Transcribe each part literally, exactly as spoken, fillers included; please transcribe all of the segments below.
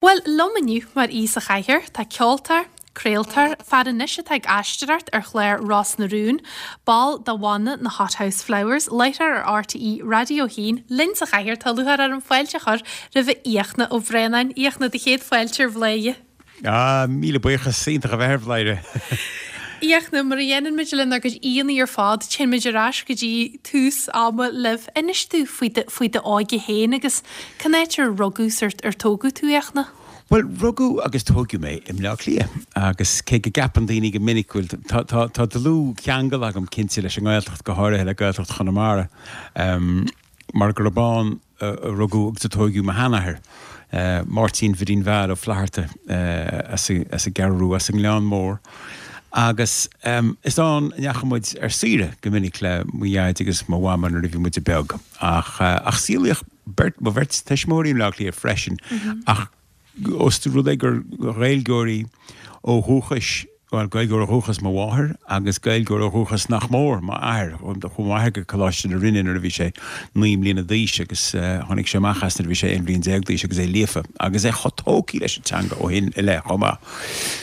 Bhuel, liom inniu mar aoi sa chathaoir, tá ceoltóir, craoltóir, fear anois atá ag aisteoireacht ar chlár Ros na Rún, ball de bhanna na Hothouse Flowers, láithreoir ar R T É Raidió a haon, linn sa chathaoir, tá lúcháir orm fáilte a chur roimh Fhiachna Ó Braonáin. Fhiachna, do chéad fáilte ar Bhladhaire. Ah, míle buíochas, iontach a bheith ar Bhladhaire. Fhiachna, mar a dhéanann muid lenár gcuid aíonna ar fad, téann muid ar ais go dtí tús ama libh. Inis dúinn faoi faoi d'óige féin agus cén áit ar rugadh ar ar tógadh tú, Fhiachna? Well, rugadh agus tógadh mé i mBleá Cliath agus cé go gceapann daoine go minic bhfuil tá tá dlúthcheangal agam cinnte leis an nGaeltacht, go háirithe le Gaeltacht Chonamara, um, mar gurb ann a rugadh agus a tógadh mo sheanathair. Uh, Máirtín Bhidín Val Ó Flatharta uh, as an gCeathrú, as an nGleann Mór. Agus um, is ann a ndeachaigh muid ar saoire go minic le mo dhaid agus mo mham nuair a bhí muid beag. Ach, uh, ach saolaíodh beirt mo bheirt tuismitheoirí i mBleá Cliath freisin mm -hmm. ach os rud é gur Ghaeilgeoirí ó dhúchas, well, Gaeilgeoir ó dhúchas mo mháthair agus Gaeilgeoir ó dhúchas nach mór m'athair. Chuaigh m'athair go Coláiste na Rinne nuair a bhí sé naoi mbliana d'aois agus uh, tháinig sé amach as nuair a bhí sé aon bhliain déag d'aois agus é líofa agus é chomh tógtha leis an teanga ó shin i leith chomh maith.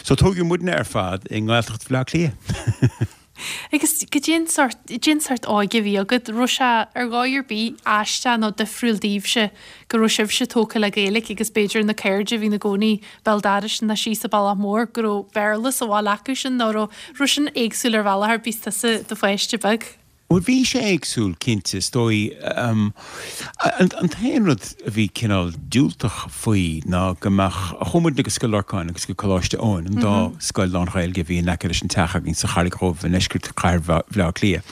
So tógadh muidne ar fad i nGaeltacht Bhleá Cliath. Agus cén sórt cén sórt óige a bhí agat, raibh sé ar dhóigh ar bith aisteach nó difriúil daoibhse go raibh sibhse tógtha le Gaeilge agus b'fhéidir na cairde a bhí ina gcónaí béal dorais na síos sa Bealach Mór go raibh Béarla sa bhaile acu sin nó raibh raibh sin éagsúil ar bhealach ar bith tusa do pháiste beag. Well, bhí sé éagsúil, cinnte, is dóigh. um, an, an t-aon rud a bhí cineál diúltach faoi ná go mbeadh chuaigh muid go Scoil Lorcáin agus go Coláiste Eoin, an dá mm -hmm. scoil lán-Ghaeilge a bhí in aice leis an teach againn sa Charraig Dhubh i ndeisceart chathair Bhaile Átha Cliath.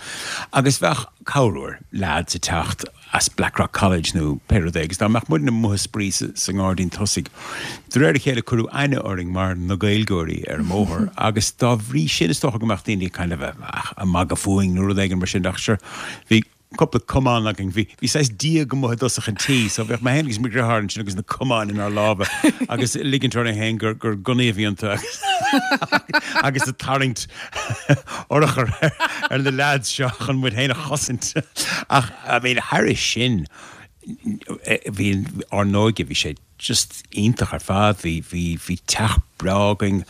Agus bheadh corruair lads ag teacht as Blackrock College nó pé rud é, agus dá mbeadh muid amuigh ag spraoi sa ngairdín tosaigh. De réir a chéile cuireadh aithne orainn mar na Gaeilgeoirí ar an mbóthar, agus dá bhrí sin is dócha go mbeadh daoine kind of ag magadh fúinn nó rud éigin mar sin, ach sure, bhí cúpla camán againn, bhí bhí saghas díog amuigh i dtosach an tí, so bheadh mé féin agus mo dheartháir ansin agus na camáin inár lámha agus ligint orainn féin gur gur gunnaí a bhí iontu agus agus ag tarraingt urchar ar na lads seo chun muid féin a chosaint. Ach, I mean, thairis sin, bhí ár n-óige, bhí sé just iontach ar fad, bhí bhí bhí teach breá againn,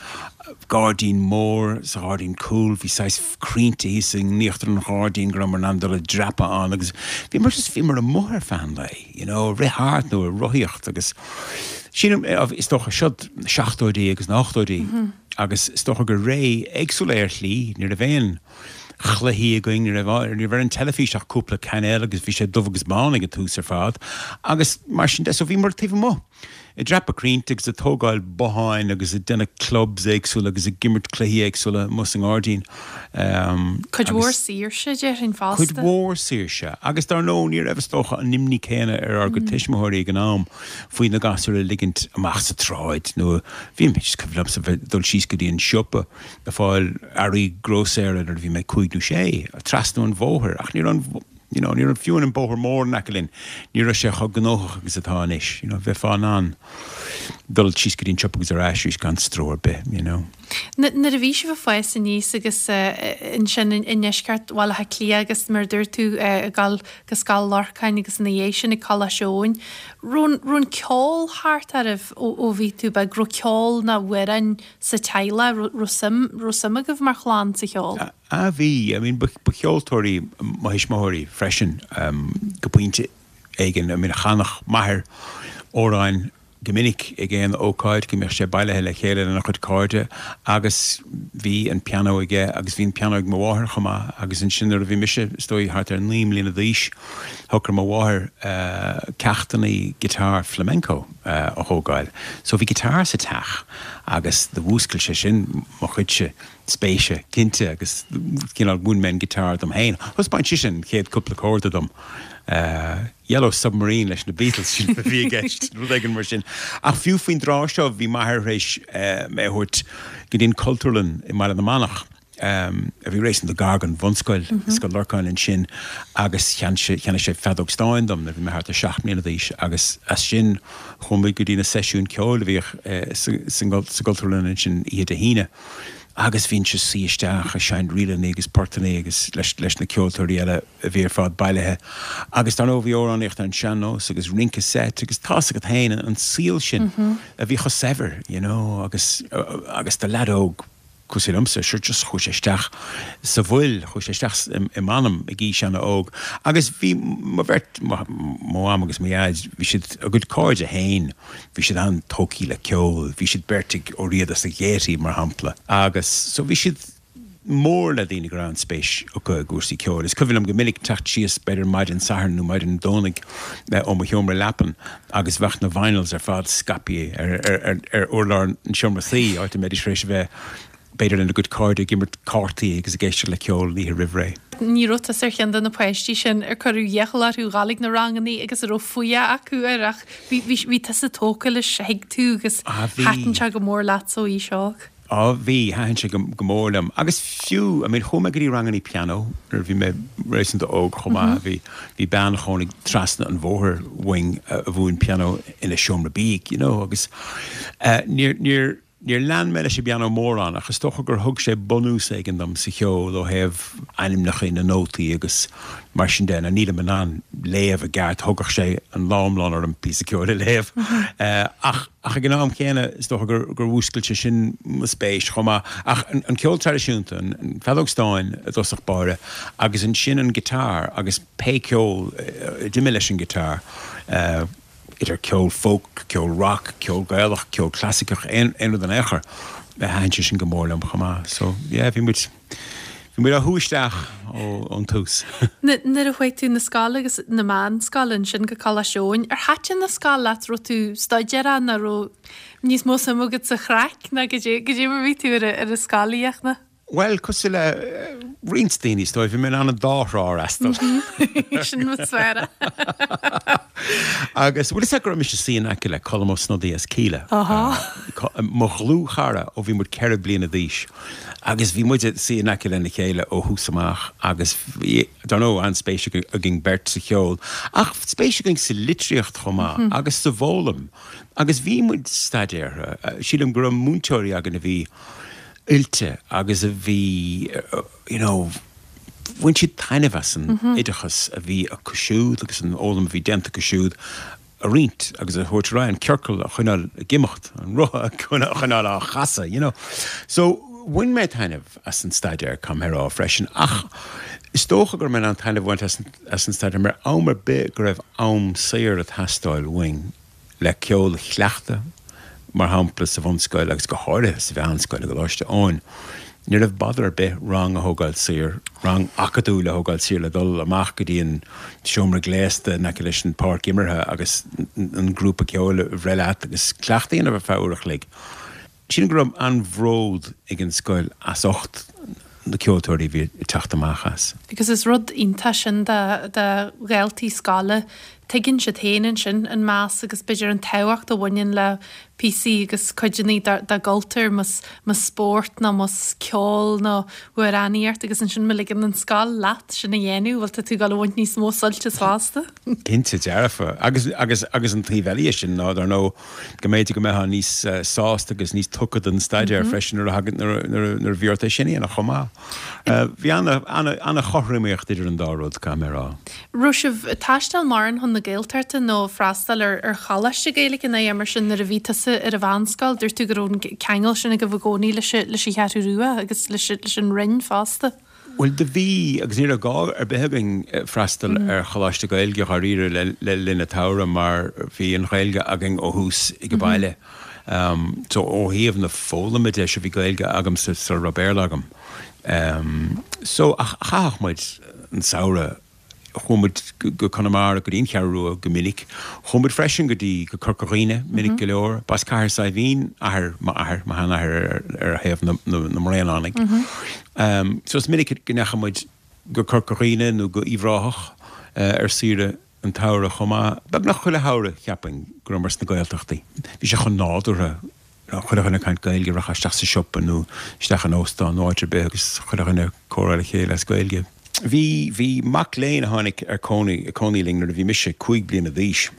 gairdín mór sa ghairdín cúil, bhí saghas crainnte thíos in íochtar an ghairdín go rabhamar in ann dul ag dreapadh ann agus bhí mar just bhíomar amuigh ar feadh an lae, you know, rith thart nó ag rothaíocht agus sílim is dócha seo na seachtóidí agus na hochtóidí agus is dócha gur ré éagsúil é ar shlí, ní raibh aon chluichí againn, ní raibh ní raibh ar an teilifís ach cúpla cainéal agus bhí sé dubh agus bán ag an tús ar fad agus mar sin de, so bhíomar taobh amuigh ag dreapadh crainnte agus ag tógáil botháin agus ag déanamh clubs éagsúla agus ag imirt cluichí éagsúla amuigh sa ngairdín. Um, Cuid mhór saoirse, déarfainn fosta. Cuid mhór saoirse agus dar ndóigh ní raibh is dócha an imní céanna ar ár gcuid tuismitheoirí ag an am faoi na gasúir a ligint amach sa tsráid nó bhí mé just cuimhin liomsa bheith dul síos go dtí an siopa ag fáil earraí grósaera nuair a bhí mé cúig nó sé trasna an bhóthair, ach ní raibh an you know, ní raibh fiú an bóthar mór in aice linn, ní raibh sé chomh gnóthach agus atá anois, you know, bheifeá in ann dul síos go dtí an siopa agus ar ais gan stró ar bith, you know. Nuair a bhí sibh ag fás aníos agus ansin i ndeisceart Bhaile Átha Cliath agus mar dúirt tú ag dul go Scoil Lorcáin agus ina dhiaidh sin ag Coláiste Eoin, raibh an ceol thart oraibh ó bhí tú beag, raibh ceol nó amhráin sa teaghlach, raibh suim raibh suim agaibh mar chlann sa cheol? A bhí, I mean, ba cheoltóirí mo thuismitheoirí freisin um, go pointe éigin, I mean, chanadh m'athair amhráin go minic ag aon ócáid go mbeadh sé bailithe le chéile lena chuid cairde agus bhí an pianó aige agus bhí an pianó ag mo mháthair chomh maith agus ansin nuair a bhí mise is dóigh thart ar naoi mbliana d'aois shocraigh mo mháthair uh, ceachtanna guitar flamenco uh, a thógáil. So bhí guitar sa teach agus do mhúscail sé sin mo chuidse spéise cinnte agus cineál mhúin mé an guitar dom féin. Thaispeáin sí sin chéad cúpla córda dom. Uh, Yellow Submarine leis na Beatles sin a bhí i gceist, rud éigin mar sin. Ach fiú faoin dtráth seo bhí m'athair théis uh, mé a thabhairt go dtí an Cultúrlann i mBaile na Manach. Um, a bhí réasúnta gar don bhunscoil mm -hmm. Scoil Lorcáin ansin agus cheannaigh sé feadóg stáin dom nuair bhí mé thart ar seacht mbliana d'aois agus as sin chuaigh mé go dtí na seisiúin ceoil a bhíodh uh, sa gCultúrlann ansin oíche Dé hAoine. Agus bhínnse ag suí isteach ag seinnt ríleanna agus portanna agus leis leis na ceoltóirí eile a bhí ar fad bailithe. Agus dar ndóigh bhí amhránaíocht ar an sean-nós agus rince seit agus tá's agat féin an saol sin a bhí chomh saibhir, you know, agus agus do leaid óg cosúil liomsa, sure just chuaigh sé isteach sa bhfuil, chuaigh sé isteach i m'anam ag aois an-óg. Agus bhí mo bheirt, mo mham agus mo dhaid, bhí siad, a gcuid cairde féin, bhí siad an-tógtha le ceol, bhí siad beirt ag Ó Riada sa Ghaiety, mar shampla, agus so bhí siad mór le daoine go raibh an-spéis acu i gcúrsaí ceoil. Is cuimhin liom go minic teacht síos b'fhéidir maidin Sathairn nó maidin Domhnaigh ó mo sheomra leapan agus bheadh na vinyls ar fad scaipthe ar, ar, ar, ar urlár an seomra suí, áit a mbeidís tar éis a bheith b'fhéidir lena gcuid cairde ag imirt cártaí agus ag éisteacht le ceol an oíche roimh ré. Ní raibh tusa ar cheann de na páistí sin ar cuireadh iachall orthu dhul ag na ranganna agus a raibh fuath acu air ach bhí, bhí, bhí tusa tógtha leis, thuig tú agus Ah, bhí. thaitin sé go mór leat ó aois óg. Á, bhí, thaitin sé go, go mór liom. Agus fiú, I mean, chuaigh mé go dtí ranganna pianó nuair a bhí mé réasúnta óg chomh maith. Bhí, bhí bean a chónaigh trasna an bhóthair uainn a mhúin pianó ina seomra bídh, you know, agus eh, níor, níor, Níor lean mé leis an bpianó mórán ach is dócha gur thug sé bunús éigin dom sa cheol ó thaobh ainmneacha na nótaí agus mar sin de. Now nílim in ann léamh i gceart, thógfadh sé an lá iomlán orm píosa ceoil a léamh. Ach ach ag an am chéanna is dócha gur gur mhúscail sé sin mo spéis chomh maith. Ach an an ceol traidisiúnta, an an feadóg stáin i dtosach báire agus ansin an guitar agus pé ceol a d'imigh leis an guitar, idir ceol folk, ceol rock, ceol Gaelach, ceol clasaiceach, aon aon rud in aon chor, thaitin sé sin go mór liom chomh maith. So yeah, bhí muid bhí muid á shú isteach ó ón tús. Nuair a chuaigh tú na scoile agus na meánscoile ansin go Coláiste Eoin, ar thaitin an scoil leat, raibh tú staidéarach nó raibh níos mó suim agat sa chraic ná goidé goidé mar bhí tú ar ar an scoil, a Fhiachna? Bhuel, cosúil le roinnt daoine, is dóigh, bhí mé in ann an dá thrá a fhreastal. Sin mo sféara. Agus bhfuil fhios agat go raibh mise ag suí in aice le Colm Ó Snodaigh as Kíla, mo dhlúthchara ó bhí muid ceithre bliana d'aois. Agus bhí muid ag suí in aice lena chéile ó thús amach agus bhí, dar ndóigh, an-spéis againn beirt sa cheol, ach spéis againn sa litríocht chomh maith agus sa bhfoghlaim. Agus bhí muid staidéartha. Sílim go raibh múinteoirí againn a bhí oilte agus a bhí you know bhain siad taitneamh as an oideachas a bhí acu siúd agus an fhoghlaim a bhí déanta acu siúd a roinnt agus a thabhairt ar aghaidh, an ciorcal a choinneáil ag imeacht, an roth a choinneáil á chasadh, you know. So bhain mé taitneamh as an staidéar, caithfidh mé a rá freisin, ach is dócha go raibh mé in ann taitneamh a bhaint as an staidéar mar am ar bith go raibh am saor ag teastáil uainn, le ceol a chleachtadh, mar shampla sa bhunscoil agus go háirithe sa mheánscoil i gColáiste Eoin. Ní raibh bother ar bith rang a thógáil saor, rang acadúil a thógáil saor le dul amach go dtí an seomra gléasta in aice leis an pháirc imeartha agus an grúpa ceoil a bhreith leat agus cleachtadh a dhéanamh ar feadh uair a chloig. Sílim go raibh an-bhród ag an scoil as ucht na ceoltóirí a bhí ag teacht amach as. Agus is rud iontach sin do dhaltaí scoile, tuigeann siad féin ansin an meas agus b'fhéidir an tábhacht a bhaineann le píosaí agus cuideanna dá gcultúr, más spórt nó más ceol nó amhránaíocht agus ansin má ligeann an scoil leat sin a dhéanamh, bhuel tá tú ag dul a bhaint níos mó suilt as fosta. Cinnte dearfa. Agus agus agus an taobh eile dhe sin ná dar ndóigh go mb'fhéidir go mbeifeá níos sásta agus níos tugtha don staidéar freisin nuair a thagann nuair nuair nuair a bhí ort é sin a dhéanamh chomh maith. Bhí an-chothromaíocht idir an dá rud, caithfidh mé a rá. Raibh sibh ag taisteal mórán chun na Gaeltachta nó freastal ar ar choláiste Gaeilge nó mar sin nuair a bhí tusa ar an mheánscoil? Dúirt tú go raibh an ceangal sin agaibh i gcónaí leis leis an Cheathrú Rua agus leis leis an Rinn fosta. Bhuel, do bhí, agus ní raibh gá ar bith againn freastal ar choláiste Gaeilge dháiríre le linn an tsamhraidh mar bhí an Ghaeilge againn ó thús ag baile. So ó thaobh na foghlama de, sure bhí Gaeilge agamsa sula raibh Béarla agam. So ach chaitheadh muid an samhradh Chuaigh muid go Conamara, go dtí an Cheathrú Rua go minic. Chuaigh muid freisin go dtí go Corca Dhuibhne minic go leor. B'as Cathair Saidhbhín athair m'athar, mo sheanathair ar thaobh na mBraonánaigh. So is minic go ndeachaigh muid go Corca Dhuibhne nó go Uíbh Ráthach ar saoire an tsamhraidh chomh maith. Beagnach chuile shamhradh, cheapfainn, go rabhamar sna Gaeltachtaí. Bhí sé chomh nádúrtha. Chuile dhuine ag caint Gaeilge, rachfá isteach sa siopa nó isteach in óstán nó áit ar bith agus chuile dhuine ag comhrá le chéile as Gaeilge. Bhí, bhí mac léinn a tháinig ar cónaí, ag cónaí linn nuair a bhí mise cúig bliana d'aois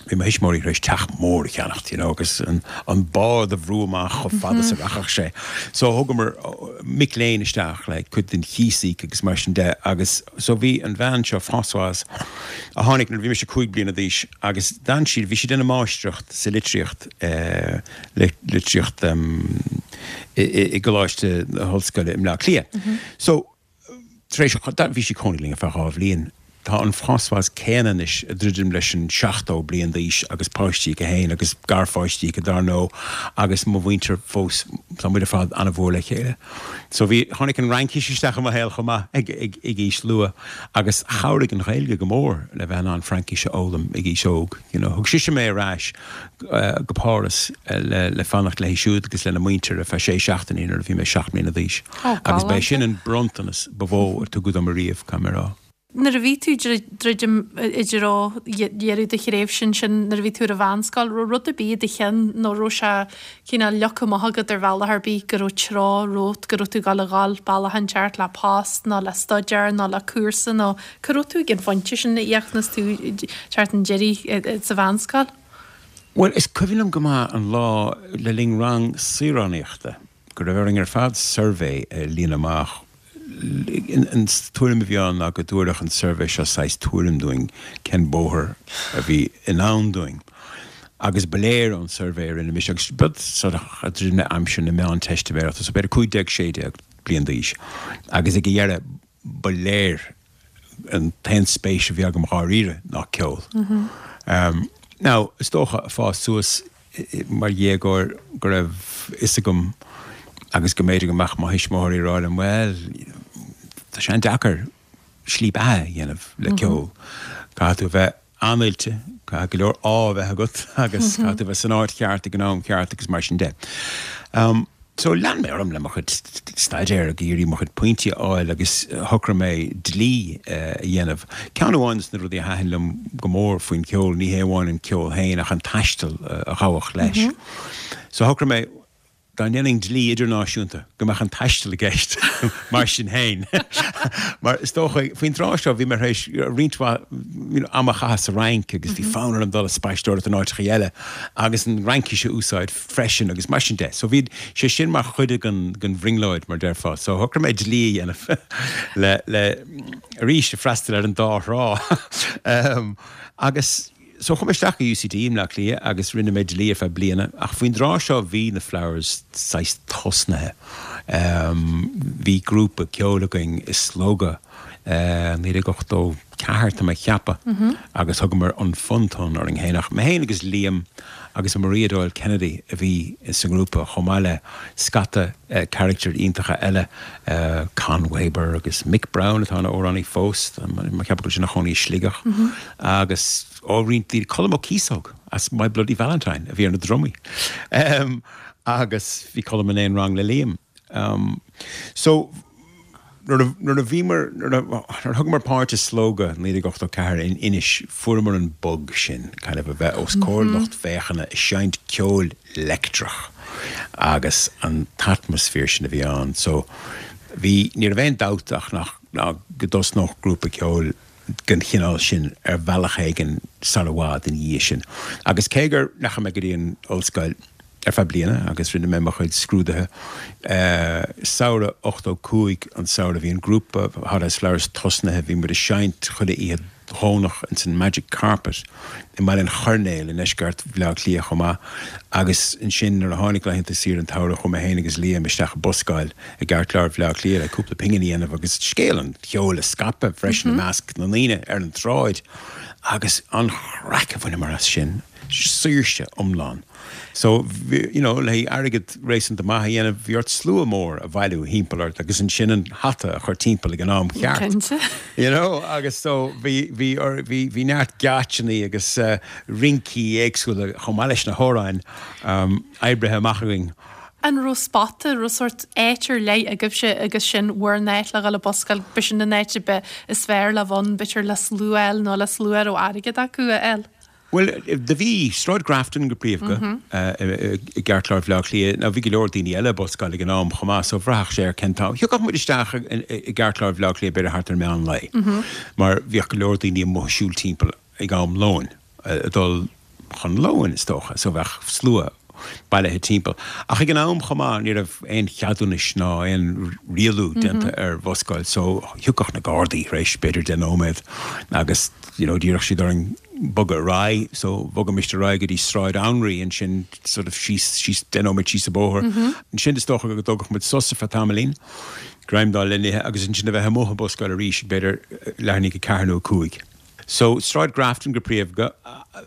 Bhí mo thuismitheoirí tar éis teach mór a cheannacht, you know, agus an, an bád a bhrú amach chomh fada is a rachadh sé. So thugamar mic léinn isteach le cuid den chíos a íoc agus mar sin de agus so bhí an bhean seo Françoise a tháinig nuair a bhí mise cúig bliana d'aois agus d'fhan siad, bhí sí ag déanamh máistreacht sa litríocht, eh, litríocht em, i, i, i gColáiste na hOllscoile i mBleá Cliath. So Tar éis, bhí sí ag cónaí linn ar feadh dhá bhliain. Tá an Françoise céanna anois ag druidim leis an seachtó bliain d'aois agus páistí aici féin agus garpháistí aici dar ndóigh agus mo mhuintir fós, tá muid ar fad an-mhór le chéile. So bhí, tháinig an Fhraincis isteach i mo shaol chomh maith ag, ag, ag aois luath agus chabhraigh an Ghaeilge go mór le bheith in ann Fraincis a fhoghlaim ag aois óg. You know, thug sise mé ar ais go Páras le, le fanacht léi siúd agus lena muintir ar feadh sé seachtainí nuair a bhí mé seacht mbliana d'aois. Agus b'é sin an bronntanas ba mhó a tugadh dom ariamh, caithfidh mé a rá. Nuair a bhí tú ag druidim i dtreo dheireadh do thréimhse ansin, nuair a bhí tú ar an mheánscoil, raibh rud ar bith i do cheann nó raibh sé cineál leagtha amach agat ar bhealach ar bith go raibh treo romhat, go raibh tú ag gabháil a dhul bealach inteacht le post nó le staidéar nó le cúrsa nó cá raibh tú ag an phointe sin a Fhiachna is tú ag teacht chun deiridh sa mheánscoil? Bhuel, is cuimhin liom go maith an lá le linn rang saoránaíochta go raibh orainn ar fad suirbhé a líonadh amach. An tuairim a bhí ann ná go dtabharfadh an suirbhé seo saghas tuairim dúinn cén bóthar a bhí i ndán dúinn. Agus ba léir ón suirbhé a rinne mise, agus b'é sort of ag druidim le aimsir na Meánteistiméireachta, so b'fhéidir cúig déag, sé déag bliain d'aois, agus ag a dheireadh ba léir an t-aon spéis a bhí agam dháiríre ná ceol. Now, is dócha, ag fás suas mar dhéagóir go raibh fhios agam agus go mb'fhéidir go mbeadh mo thuismitheoirí ag rá liom, bhuel, tá sé an-deacair slí beatha a dhéanamh le ceol. Caithfidh tú a bheith an-oilte, caithfidh go leor ádh a bheith agat agus caithfidh tú a bheith san áit cheart ag an am ceart agus mar sin de. So lean mé orm le mo chuid staidéir ag iarraidh mo chuid pointí a fháil agus shocraigh mé dlí a dhéanamh. Ceann amháin de na rudaí a thaitin liom go mór faoin cheol, ní hé amháin an ceol féin ach an taisteal a ghabhfadh leis. So shocraigh mé dá ndéanfainn dlí idirnáisiúnta go mbeadh an taisteal i gceist mar sin féin. Mar is dócha, faoin tráth seo bhí mé tar éis roinnt mhaith ama a chaitheamh sa Fhrainc agus bhí fonn orm dul ag spaisteoireacht in áiteacha eile agus an Fhraincis a úsáid freisin agus mar sin de. So bhí sé sin mar chuid den den bhrionglóid mar déarfá. So shocraigh mé dlí a dhéanamh le le arís ag freastal ar an dá thrá. um, agus so chuaigh mé isteach i UCD i mBleá Cliath agus rinne mé dlí ar feadh bliana ach faoin dtráth seo bhí na Flowers saghas tosnaithe. Um, bhí grúpa ceoil againn i Slógadh naoi déag ochtó ceathair tá mé ag ceapadh agus thugamar an Fun Ton orainn féin ach mé féin agus Liam agus Maria Doyle Kennedy a bhí sa ngrúpa chomh maith le scata carachtair iontacha eile, Con Weber agus Mick Brown atá ina amhránaí fós, tá mé ag ceapadh go bhfuil sé ina chónaí i Sligeach agus ó roinnt daoine, Colm Ó Cíosóg as My Bloody Valentine a bhí ar na drumaí agus bhí Colm in aon rang le Liam. So. Nuair a, nuair a bhíomar, nuair a, nuair a thugamar páirt i Slógadh naoi déag ochtó ceathair in Inis, fuaireamar an bug sin, kind of a bheith os comhair lucht féachana ag seinnt ceoil leictreach agus an t-atmaisféar sin a bhí ann. So, bhí, ní raibh aon dabht ach nach, ná go dtosnódh grúpa ceoil den chineál sin ar bhealach éigin sar i bhfad ina dhiaidh sin. Agus cé gur ndeachaigh mé go dtí an ollscoil ar feadh bliana agus rinne mé mo chuid scrúduithe, samhradh ochtó cúig, an samhradh a bhí an grúpa Hothouse Flowers tosnaithe, bhí muid ag seinnt chuile oíche Dhomhnach ins an Magic Carpet i mBaile an Choirnéil i ndeisceart Bhaile Átha Cliath chomh maith agus ansin nuair a tháinig laethanta saoire an tsamhraidh chuaigh mé féin agus Liam isteach ag buscáil i gceartlár Bhaile Átha Cliath le cúpla pingin a dhéanamh agus scéal an cheoil a scaipeadh freisin i measc na ndaoine ar an tsráid agus an chraic a bhaineamar as sin, saoirse iomlán. So, you know, le haghaidh airgead réasúnta maith a dhéanamh, bhí ort slua mór a bhailiú thimpeall ort agus ansin an hata a chur timpeall ag an am cheart. Cinnte. You know, agus so bhí, bhí, bhí, bhí neart geáitseannaí agus rincí éagsúla chomh maith leis na hamhráin oibrithe amach againn. An raibh spota, raibh sórt áit ar leith agaibhse agus sin bhur n-áit le dhul ag buscáil, b'shin an áit a b'fhearr, is fearr le bheith ann, b'fhéidir le slua a fháil nó le slua a raibh airgead acu a fháil? Bhuel, do bhí. Sráid Grafton go príomha i gceartlár Bhaile Átha Cliath. Now bhí go leor daoine eile ag buscáil ag an am chomh maith so bhraithfeadh sé ar cén t-am. Thiocfadh muid isteach i gceartlár Bhaile Átha Cliath b'fhéidir thart ar meán lae mar bhíodh go leor daoine amuigh ag siúl timpeall ag am lóin ag dul chun lóin is dócha, so bheadh slua bailithe timpeall. Ach ag an am chomh maith ní raibh aon cheadúnais ná aon rialú déanta ar bhuscáil, so thiocfadh na Gardaí tar éis b'fhéidir deich nóiméad agus you know d'iarrfadh siad orainn bogadh ar aghaidh, so bhogaimis ar aghaidh go dtí Sráid Anraí ansin sort of síos síos deich nóiméad síos an bóthar. Ansin is dócha go dtógfadh muid sos ar feadh tamaillín, greim d'fháil le n-ithe agus ansin a bheith amuigh ag buscáil arís ag b'fhéidir leathuair i ndiaidh a ceathair nó a cúig. So, Sráid Grafton go príomha,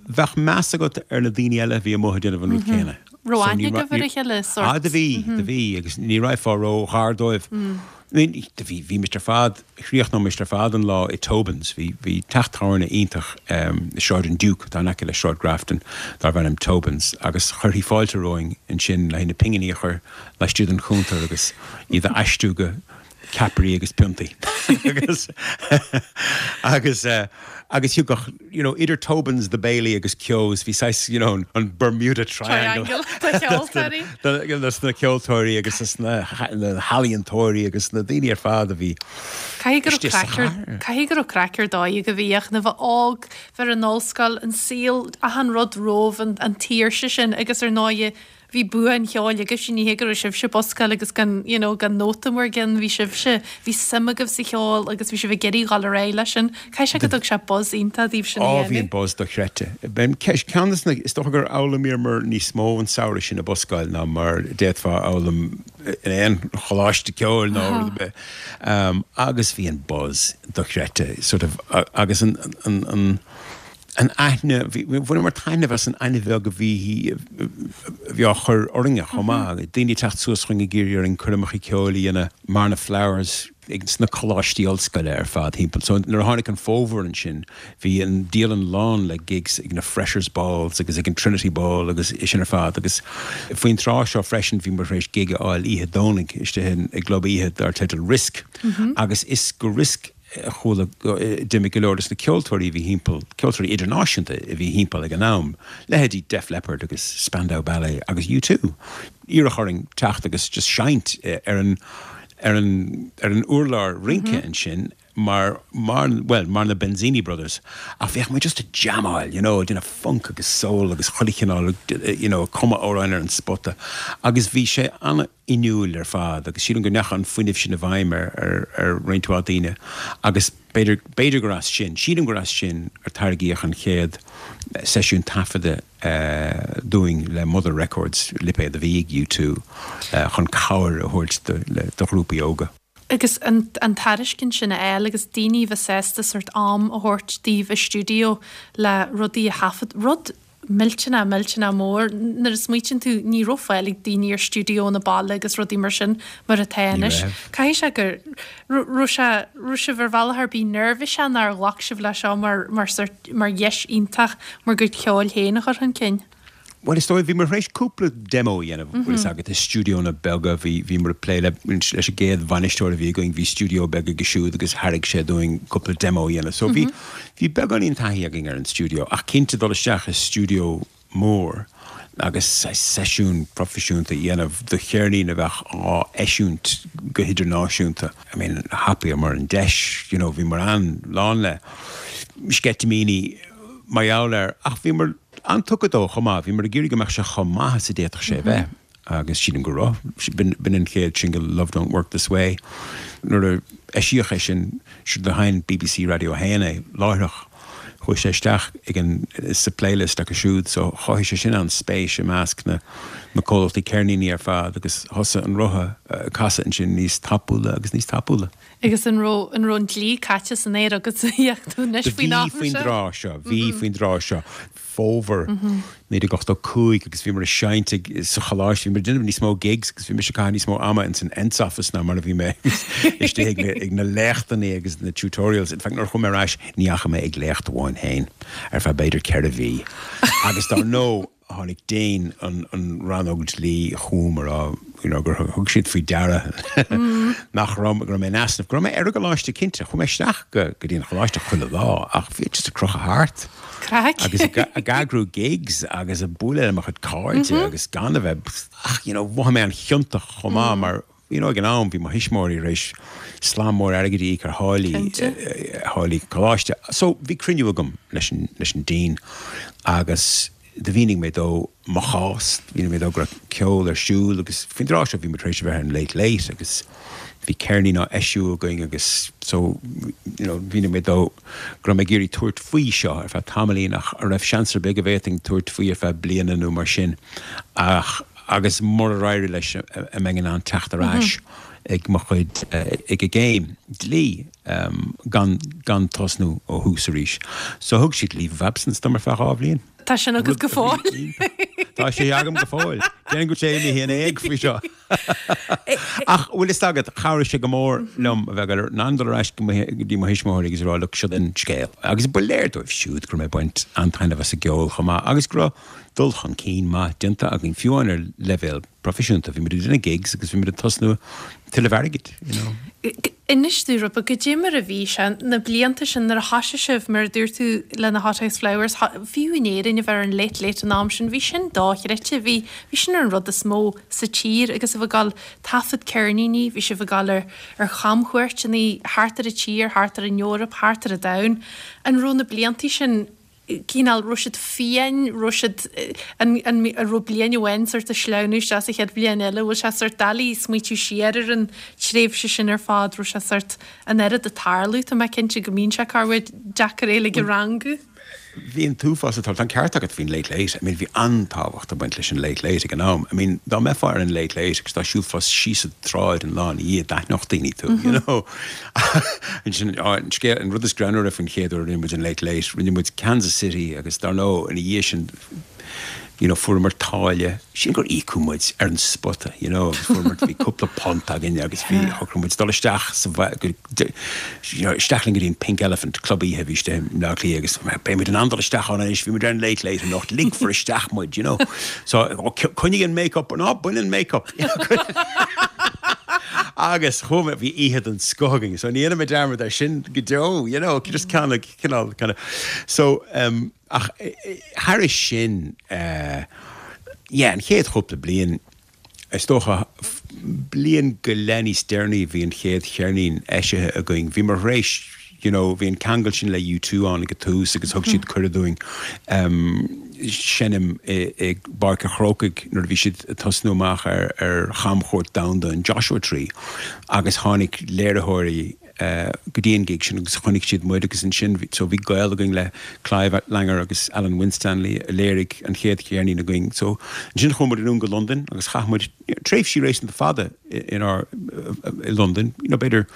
bheadh meas agat ar na daoine eile a bhí amuigh ag déanamh an rud céanna. Raibh aithne agaibh ar a chéile, sórt? Ah, do bhí, do bhí, agus ní raghfá ró-ghar dóibh. I mean, do bhí, bhímist ar fad, chríochnóimist ar fad an lá i Tobin's. Bhí, bhí teach tábhairne iontach i Sráid an Duke, atá in aice le Sráid Grafton, darbh ainm Tobin's, agus chuirfí fáilte romhainn ansin le haghaidh na pinginí a chur laistigh den chuntar agus iad a aistriú go ceapairí agus piontaí agus agus agus thiocfadh you know idir Tobin's, the Bailey agus Keogh's bhí saghas you know an Bermuda Triangle Triangle de cheoltóirí. dos na ceoltóirí agus dos na healaíontóirí agus na daoine ar fad a bhí Caithfidh go raibh istigh sa craic ar chathair. caithfidh go raibh craic ar dóigh agaibh a bhíodh na bheith óg, bheith ar an ollscoil, an saol, achan rud romhaibh, an an tsaoirse sin agus ar ndóighe Bhí bua an cheoil agaibhse, ní hé go raibh sibhse ag buscáil agus gan, you know, gan nóta bhur gceann, bhí sibhse, bhí suim agaibh sa cheol agus bhí sibh ag iarraidh dhul ar aghaidh leis sin. Caithfidh sé go dtug sé buzz iontach daoibh sin a Á, bhí an dhéanamh. buzz dochreidte. B'in ceist, ceann de na, is dócha gur fhoghlaimíomar níos mó an samhradh sin ag buscáil ná mar a d'fhéadfá a fhoghlaim in aon choláiste ceoil nó rud ar bith. Agus bhí an buzz dochreidte, sort of, agus an, an, an, An aithne, bhí, bhaineamar taitneamh as an aithne bheag a bhí, a bhí á chur orainne chomh maith. Daoine ag teacht suas chugainn ag iarraidh orainn coirmeacha ceoil a dhéanamh mar na Flowers ag sna coláistí ollscoile ar fad thimpeall. So nuair a tháinig an fómhar ansin, bhí an dialann lán le gigs ag na Freshers Balls agus ag an Trinity Ball agus é sin ar fad. Agus faoin tráth seo freisin bhíomar tar éis gig a fháil oíche Domhnaigh istigh in, i gclub oíche dar teideal Risk. Agus is go Risk, chuala, d'imigh go leor de na ceoltóirí a bhí thimpeall, ceoltóirí idirnáisiúnta a bhí thimpeall ag an am, leithéidí Def Leppard agus Spandau Ballet agus U Two. Iarradh orainn teacht agus just seinnt ar an, ar an, ar an urlár rince ansin mar, mar, bhuel, mar na Benzini Brothers. Ach bheadh muid just ag jamáil, you know, ag déanamh funk agus soul agus chuile chineál, you know, ag cumadh amhráin ar an spota. Agus bhí sé an-. fhuinniúil ar fad agus sílim go ndeachaigh an fuinneamh sin i bhfeidhm ar ar roinnt mhaith daoine agus b'fhéidir b'fhéidir gur as sin, sílim gur as sin ar tairgíodh an chéad seisiún taifeadta dúinn le Mother Records, lipéad a bhí ag U Two, chun cabhair a thabhairt do do ghrúpaí óga. Agus an an tairiscint sin a fháil agus daoine a bheith sásta sórt am a thabhairt daoibh i stiúideo le rudaí a thaifead, rud millteanach, millteanach mór. Nuair a smaoitíonn tú, ní raibh fáil ag daoine ar stiúideónna baile agus rudaí mar sin mar atá Ní anois. raibh. Caithfidh sé go raibh sé, raibh sibh ar bhealach ar bith neirbhíseach nó ar ghlac sibh leis seo mar, mar sórt, mar dheis iontach bhur gcuid ceoil féin a chur chun cinn? Bhuel, is dóigh, bhíomar tar éis cúpla demo a dhéanamh, bhfuil fhios agat, i stiúideónna beaga, bhí, bhíomar ag plé le, leis an gcéad bhainisteoir a bhí againn, bhí stiúideo beag aige siúd agus thairg sé dúinn cúpla demo a dhéanamh. So bhí, bhí beagáinín taithí againn ar an stiúideo, ach cinnte dul isteach i stiúideo mór agus saghas seisiún proifisiúnta a dhéanamh do cheirnín a bheadh á eisiúint go hidirnáisiúnta, I mean, thapaíomar an deis, you know, bhíomar an-lán le sceitimíní mar gheall air, ach bhíomar an-tugtha dó chomh maith, bhíomar ag iarraidh go mbeadh sé chomh maith is a d'fhéadfadh sé a bheith agus sílim go raibh. B'in an chéad singil Love Don't Work This Way. Nuair a eisíodh é sin, do sheinn BBC Radio a haon é láithreach. Chuaigh sé isteach ag an, sa playlist acu siúd so chothaigh sé sin an-spéis i measc na na comhlachtaí ceirníní ar fad agus thosaigh an rotha ag casadh ansin níos tapúla agus níos tapúla. Agus an raibh an raibh an dlí caite san aer agat a tú anois Do faoin bhí am faoin seo? dtráth seo, bhí faoin dtráth seo. Fómhar naoi déag ochtó cúig agus bhíomar ag seinnt ag, sa choláiste, bhíomar ag déanamh níos mó gigs agus bhí mise ag caitheamh níos mó ama ins an Ents office ná mar a bhí mé istigh ag na, ag na léachtanna agus na tutorials. In fact nuair a chuaigh mé ar ais ní fhaca mé ag léacht amháin féin ar feadh b'fhéidir ceithre mhí. Agus dar ndóigh tháinig Déan an an rannóg dlí chugam a rá you know gur thug siad faoi deara nach raibh, go raibh mé in easnamh, go raibh mé ar an gcoláiste cinnte, chuaigh mé isteach go go dtí an choláiste chuile lá ach bhí just ag crochadh thart Craic. agus ag ag eagrú gigs agus ag bualadh le mo chuid cairde agus gan a bheith ach you know mhothaigh mé an-chiontach chomh maith mar you know ag an am bhí mo thuismitheoirí tar éis slám mór airgid a íoc ar tháillí Cinnte. tháillí coláiste. So bhí cruinniú agam leis an leis an Dean agus Do mhínigh mé dó mo chás, mhínigh mé dó go raibh ceol ar siúl agus faoin dtráth seo bhí muid tar éis a bheith ar an Late Late agus bhí ceirnín á eisiú againn agus so you know mhínigh mé dó go raibh mé ag iarraidh tabhairt faoi seo ar feadh tamaillín ach an raibh seans ar bith go bhféadfainn tabhairt faoi ar feadh bliana nó mar sin ach agus murar éirigh leis an mbeinn in ann teacht ar ais ag mo chuid ag an gcéim dlí gan gan tosnú ó thús arís. So thug siad leave of absence dom ar feadh dhá bhliain. Tá sin agat go fóill. Tá sé agam go fóill. Déan go sé mé in éag faoi seo. Ach bhfuil fhios agat chabhraigh sé go mór liom a bheith in ann dul ar ais go dtí mo thuismitheoirí agus a rá look seo an scéal. Agus ba léir dóibh siúd go raibh mé ag baint an-taitneamh as an gceol chomh maith agus go raibh dul chun cinn maith déanta againn fiú amháin ar leibhéal proifisiúnta. Bhí muid ag déanamh gigs agus bhí muid ag tosnú tuilleamh airgid, you know. Inis dúinn rud beag, goidé mar a bhí sé, na blianta sin nuair a thoisigh sibh, mar a dúirt tú le na Hothouse Flowers, fiú in Éirinn a bheith ar an Late Late an am sin, bhí sin dochreidte, bhí, bhí sin ar an rud is mó sa tír agus sibh ag dul taifead ceirníní, bhí sibh ag dul ar, ar chamchuairteanna thart ar an tír, thart ar an Eoraip, thart ar an domhan. An raibh na blianta sin cineál, raibh siad fiáin, raibh siad, an, an, an raibh bliain amháin sort ag sleamhnú isteach sa chéad bhliain eile, bhfuil sé sort doiligh smaoitiú siar ar an tréimhse sin ar fad, raibh sé sort an oiread ag tarlú, tá mé cinnte go mbíonn sé corruair deacair é uilig a rangú. Bhí an t-uafás ag tarlú, tá an ceart agat faoin Late Late, I mean bhí an-tábhacht ag baint leis an Late Late ag an am, I mean dá mbeifeá ar an Late Late agus dá siúlfá síos an tsráid an lá ina dhiaidh d'aithneodh daoine tú, you know. Ansin, an scéal, an rud is greannmhaire faoin chéad uair a rinne muid an Late Late, rinne muid Kansas City agus dar ndóigh ina dhiaidh sin, you know, fuaireamar táille, sin gur íocadh muid ar an spota, you know, agus fuaireamar, bhí cúpla punt againn agus bhí, shocraigh muid dul isteach sa, you know, isteach linn go dtí an Pink Elephant, club oíche a bhí istigh i mBleá Cliath agus beidh muid in ann dul isteach ann anois, bhí muid ar an Late Late anocht, ligfear isteach muid, you know. So, oh, coinnigh an make-up, ná bain an make-up. Agus chuaigh bhí oíche den scoth againn, so ní dhéanfaidh mé dearmad air sin go deo, you know, just kind of, cineál, kind of. So, um, ach thairis sin, uh, yeah, an chéad chúpla bliain, is dócha bliain go leith níos deireanaí bhí an chéad cheirnín eisithe againn. Bhí mar réis, you know, bhí an ceangal sin le U two ann ag an tús agus thug siad cuireadh dúinn um, seinm i, i bPáirc an Chrócaigh nuair a bhí siad ag tosnú amach ar, ar chamchuairt domhanda an Joshua Tree agus tháinig léiritheoirí uh, go dtí an gig sin agus chonaic siad muid agus ansin so bhí gaol againn le Clive Langer agus Alan Winstanley a léirigh an chéad cheirnín againn. So ansin chuaigh muid anonn go Londain agus chaith muid tréimhsí réasúnta fada inár i Londain, you know, b'fhéidir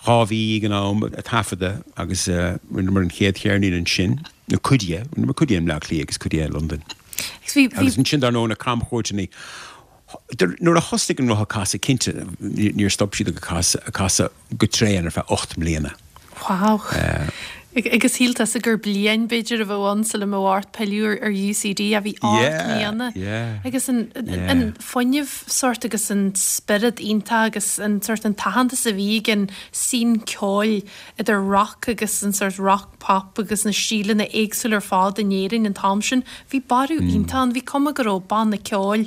dhá mhí ag an am ag taifeadadh agus uh, rinneamar an chéad cheirnín ansin, nó cuid de, rinneamar cuid de i mBleá Cliath agus cuid de i Londain. Agus bhí, bhí, Agus ansin dar ndóigh na camchuairteanna nuair a thosaigh an roth ag casadh cinnte níor stop siad ag casadh casadh go tréan ar feadh ocht mbliana. Wow. Agus shíl tusa gur bliain b'fhéidir a bheadh ann sula mbeadh ort pilleadh ar U C D a bhí ocht mbliana. Yeah. Agus an, Yeah. an fuinneamh sort agus an spiorad iontach agus an sort an t-aitheantas a bhí ag an scene ceoil idir rock agus an sort rock pop agus na stíleanna éagsúla ar fad in Éirinn an t-am sin, bhí borradh iontach ann, bhí cuma go raibh banna ceoil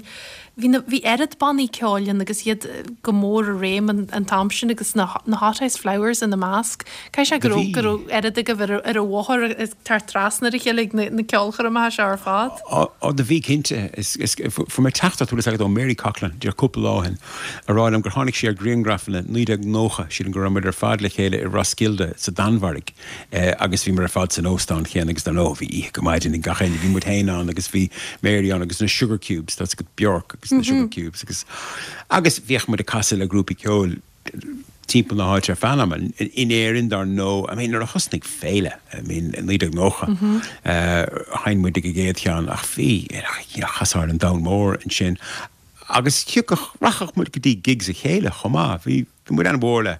Bhí na bhí oiread bannaí ceoil ann agus iad go mór i réim an, an t-am sin agus na, na Hothouse Flowers ina measc. Caithfidh sé go raibh go raibh oiread agaibh ar ar an bhóthar is tar trasna ar a chéile ag na, na ceolchoirmeacha seo ar fad. Ó do bhí cinnte fuair mé teachtaireacht bhfuil agat ó Mary Coughlan díreach cúpla lá ó shin a rá liom gur tháinig sí ar ghrianghrafanna naoi déag nócha sílim go raibh muid ar fad le chéile i Roskilde sa Danmhairg eh, agus bhí muid ar fad san óstán chéanna agus dar ndóigh bhí oíche go maidin ag gach éinne bhí muid féin ann agus bhí Mary ann agus na Sugar Cubes that's go Bjork agus na Sugar Cubes agus agus bhíodh muid ag casadh le grúpaí ceoil timpeall na háite ar feadh ama in Éirinn dar ndóigh I mean nuair a thosnaigh Féile I mean naoi déag nócha sheinn muid ag an gcéad cheann ach bhí chasár an domhan mór ansin agus thiocfadh rachadh muid go dtí gigs a chéile chomh maith bhí bhí muid an-mhór le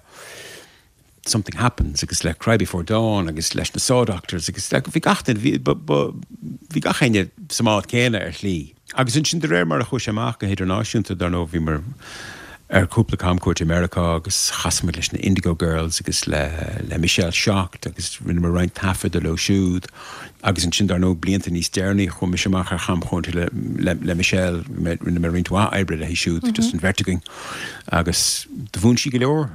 Something Happens agus le Cry Before Dawn agus leis na Saw Doctors agus le bhí gach duine bhí bhí gach éinne sa mbád céanna ar shlí. Agus ansin de réir mar a chuaigh sé amach go hidirnáisiúnta dar ndóigh bhí muid ar cúpla camchuairt i Meiriceá agus chas muid leis na Indigo Girls agus le le Michelle Shocked agus rinne muid roinnt taifeadta leo siúd agus ansin dar ndóigh blianta níos deireanaí chuaigh mise amach ar chamchuairt le le le Michelle rinne mé roinnt mhaith oibre léi siúd just an bheirt againn agus do mhúin sí go leor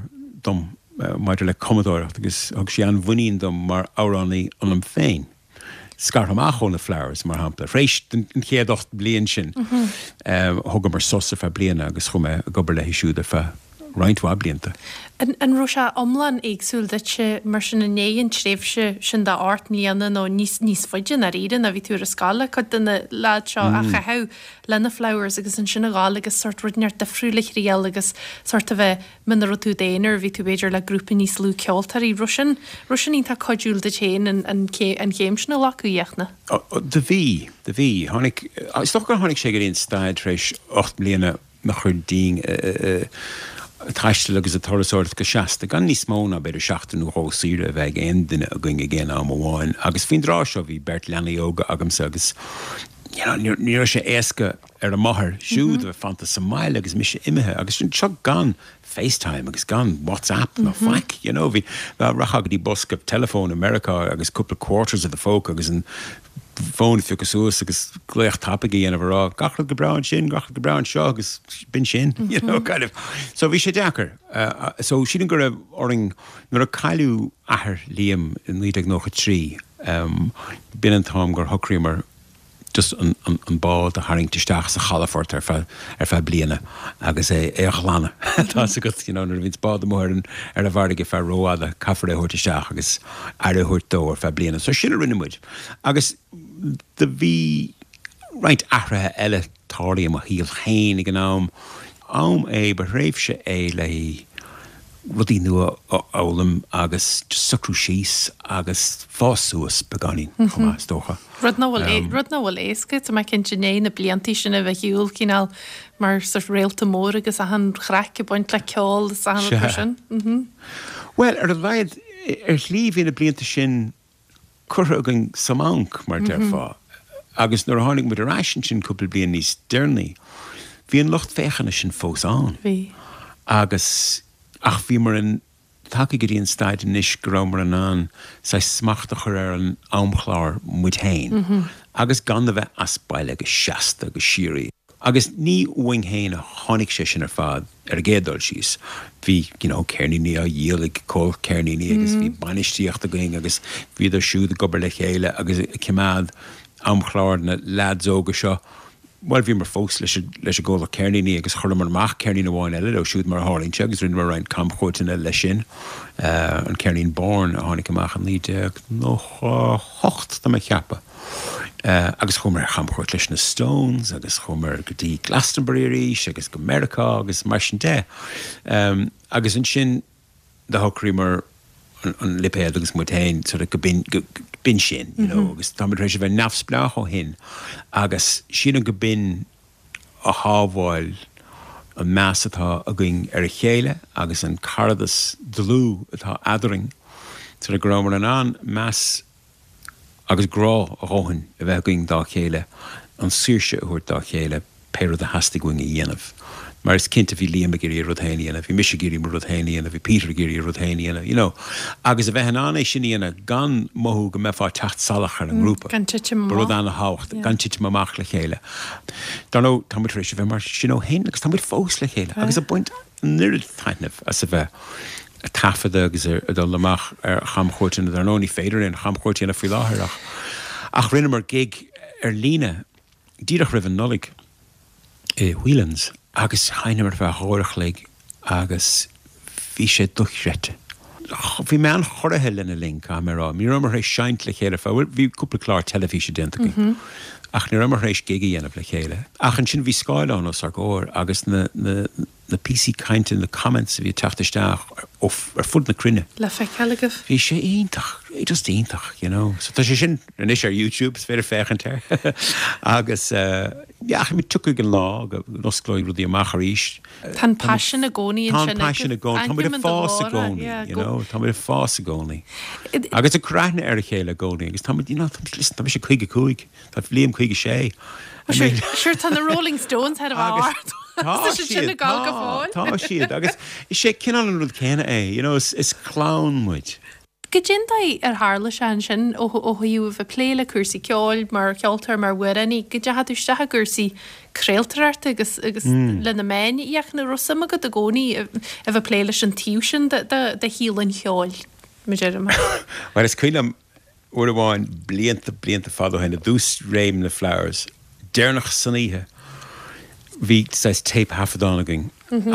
dom maidir le cumadóireacht agus thug sí an-mhuinín dom mar amhránaí ionam féin. scartha amach ó na Flowers, mar shampla. Tar éis an chéad ocht mbliain sin, thugamar sos ar feadh bliana agus chuaigh mé ag obair leo siúd ar feadh roinnt mhaith blianta. An raibh sé iomlán éagsúil duitse mar sin i ndiaidh an tréimhse sin de ocht mbliana nó níos níos faide i ndáiríre ná bhí tú ar an scoil le cuid de na leaids seo a chaitheamh le na Flowers agus ansin a ghabháil agus sórt rud inteacht difriúil a thriail agus sórt a bheith muna raibh tú i d'aonar bhí tú b'fhéidir le grúpa níos lú ceoltóirí. Raibh sin raibh sin iontach cuidiúil duit féin an an an chéim sin a ghlacadh, a Fhiachna? Do bhí, do bhí. Tháinig, is dócha gur tháinig sé go dtí an staid tar éis ocht mbliana a chur dínn ag taisteal agus ag turasóireacht go seasta, gan níos mó ná b'fhéidir seachtain nó dhó saoire a bheith ag aon duine againn ag aon am amháin. Agus faoin dtráth seo bhí beirt leanaí óga agamsa agus you know, ní raibh sé éasca ar a máthair siúd a bheith fanta sa mbaile agus mise imithe agus seo gan FaceTime agus gan WhatsApp ná faic, you know, bhí rachfá go dtí bosca teileafóin i Meiriceá agus cúpla quarters i do phóca agus an fón a phiocadh suas agus glaoch tapaidh a dhéanamh a rá gach rud go breá ansin, gach rud go breá anseo agus b'in sin, you know, kind of. So bhí sé deacair. Uh, so sílim go raibh orainn nuair a cailleadh athair Liam i naoi déag nócha trí, um, b'in an t-am gur shocraíomar just an, an, an bád a tharraingt isteach sa chalafort ar feadh, ar feadh bliana agus é, é a ghlanadh. Tá a fhios agat, you know, nuair a bhíonns bád amuigh ar an, ar an bhfarraige feadh rófhada, caithfear é a thabhairt isteach agus aire a thabhairt dó ar feadh bliana. So sin a rinne muid. Agus do bhí roinnt athruithe eile tarlaithe i mo shaol féin ag an am. Am é, ba thréimhse é le rudaí nua a fhoghlaim agus just socrú síos agus fás suas beagáinín chomh maith, is dócha. Rud nach bhfuil rud nach bhfuil éasca, tá mé cinnte i ndiaidh na blianta sin a bheith ar shiúl cineál mar sort réalta mór agus achan chraic ag baint le ceol is achan rud mar sin. Bhuel, ar a laghad, ar shlí bhí na blianta sin curtha againn sa mbanc, mar a déarfá, agus nuair a tháinig muid ar ais ansin cúpla bliain níos deireanaí, bhí an lucht féachana sin fós ann. Bhí. Agus, ach bhíomar in, tagtha go dtí an staid anois go rabhamar in ann saghas smacht a chur ar an amchlár muid féin agus gan a bheith as baile go seasta, go síoraí. Agus ní uainn féin a tháinig sé sin ar fad ar an gcéad dul síos. Bhí, you know, ceirníní á dhíol ag comhlacht ceirníní agus bhí bainistíocht againn agus bhíodar siúd ag obair le chéile agus ag coimeád amchlár na leaids óga seo. Bhuel, bhíomar fós leis an leis an gcomhlacht ceirníní agus chuireamar amach ceirnín amháin eile leo siúd mar a tharlaíonn sé agus rinneamar roinnt camchuairteanna leis sin, an ceirnín Born a tháinig amach i naoi déag nócha a hocht, tá mé ag ceapadh. Agus chuamar ar chamchuairt leis na Stones agus chuamar go dtí Glastonbury arís agus go Meiriceá agus mar sin de. Agus ansin do shocraíomar an lipéad agus muid féin sort of go b'in go b'in sin, you know, agus táimid tar éis a bheith neamhspleách ó shin agus sílim go b'in a shábháil an meas atá againn ar a chéile agus an caradas dlúth atá eadrainn, sort of go rabhamar in ann meas agus grá a dhóthain a bheith againn dá chéile, an saoirse a thabhairt dá chéile pé rud a theastaigh uainn a dhéanamh. Mar is cinnte bhí Liam ag iarraidh a rud féin a dhéanamh, bhí mise ag iarraidh mo rud féin a dhéanamh, bhí Peter ag iarraidh a rud féin a dhéanamh, you know. Agus a bheith in ann é sin a dhéanamh gan mothú go mbeifeá ag teacht salach ar an ngrúpa. Gan titim amach. Ba rud an-thábhachtach, gan titim amach le chéile. Dar ndóigh, tá muid tar éis a bheith mar sin ó shin agus tá muid fós le chéile agus ag baint an oiread taitnimh as a bheith ag taifeadadh agus ag dul amach ar chamchuairteanna. Dar ndóigh, ní féidir aon chamchuairt a dhéanamh faoi láthair ach ach rinneamar gig ar líne díreach roimh an Nollaig i Whelan's agus sheinneamar ar feadh uair a chloig agus bhí sé dochreidte. Bhí mé an-chorraithe lena linn, caithfidh mé a rá. Ní rabhamar tar éis seinnt le chéile fá, bhuel, bhí cúpla clár teilifíse déanta againn ach ní rabhamar tar éis gig a dhéanamh le chéile. Ach ansin bhí scáileán os ár gcomhair agus na, na, na píosaí cainte, na comments a bhí ag teacht isteach ó, ar fud na cruinne. Le feiceáil agaibh. Bhí sé iontach, just iontach, you know. So tá sé sin anois ar YouTube, is féidir féachaint air. Agus yeah, ach tiocfaidh an lá go n-osclóidh rudaí amach arís. Tá an paisean i gcónaí ansin. Tá an paisean i gcónaí. Tá muid ag fás i gcónaí, you know. Tá muid ag fás i gcónaí. Agus ag cur aithne ar a chéile i gcónaí. Agus tá muid, you know, listen, tá mise caoga cúig, tá Liam caoga sé. Sure, sure tá na Rolling Stones thar a bheith ard. Tá siad, tá, tá siad. Agus is é cineál an rud céanna é, you know, is, is clann muid. Goidé an dóigh ar tharla sé ansin ó, ó thaobh a bheith ag plé le cúrsaí ceoil mar cheoltóir, mar amhránaí, go dteachaigh tú isteach i gcúrsaí craoltóireachta agus, agus mm. le na meáin, an raibh suim agat i gcónaí a bheith ag plé leis an taobh sin de, de, de shaol an cheoil, mar a déarfá. Well, is cuimhin liom uair amháin blianta blianta fada ó shin i dtús réim na Flowers, deireanach san oíche, bhí saghas téip-thaifeadán againn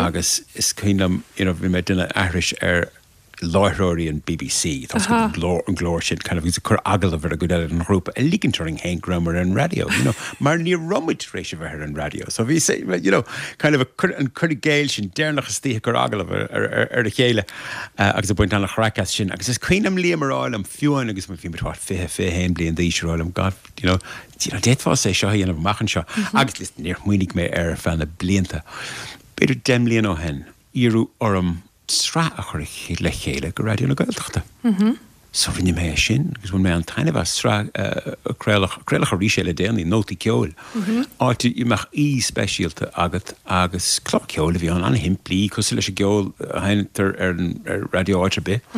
agus is cuimhin liom, you know, bhí mé ag déanamh aithris ar láithreoirí an BBC, tá an glór an glór sin kind of agus ag cur agallamh ar an gcuid eile den ghrúpa, ag ligint orainn féin go rabhamar ar an raidió, you know, mar ní raibh muid tar éis a bheith ar an raidió. So bhí sé, you know, kind of a cur an cur i gcéill sin deireanach istoíche ag cur agallamh ar, ar, ar, ar a chéile uh, agus ag baint an-chraic as sin. Agus is cuimhin liom Liam a rá liom fiú amháin agus bhí muid what, fiche, fiche haon bliain d'aois a rá liom, God, you know, you know, d'fhéadfá é seo a dhéanamh amach anseo. Agus listen, níor smaoinigh mé air ar feadh na blianta. B'fhéidir deich mbliana ó shin, iarradh orm sraith a chur le chéile go Raidió na Gaeltachta. So rinne mé é sin agus bhain mé an-taitneamh as sraith uh, craoladh craoladh arís é le déanaí nótaí ceoil. Áit a mbeadh aoi speisialta agat agus clár ceoil a bhí ann an-shimplí cosúil leis an gceol a sheinntear ar an ar raidió áit ar bith.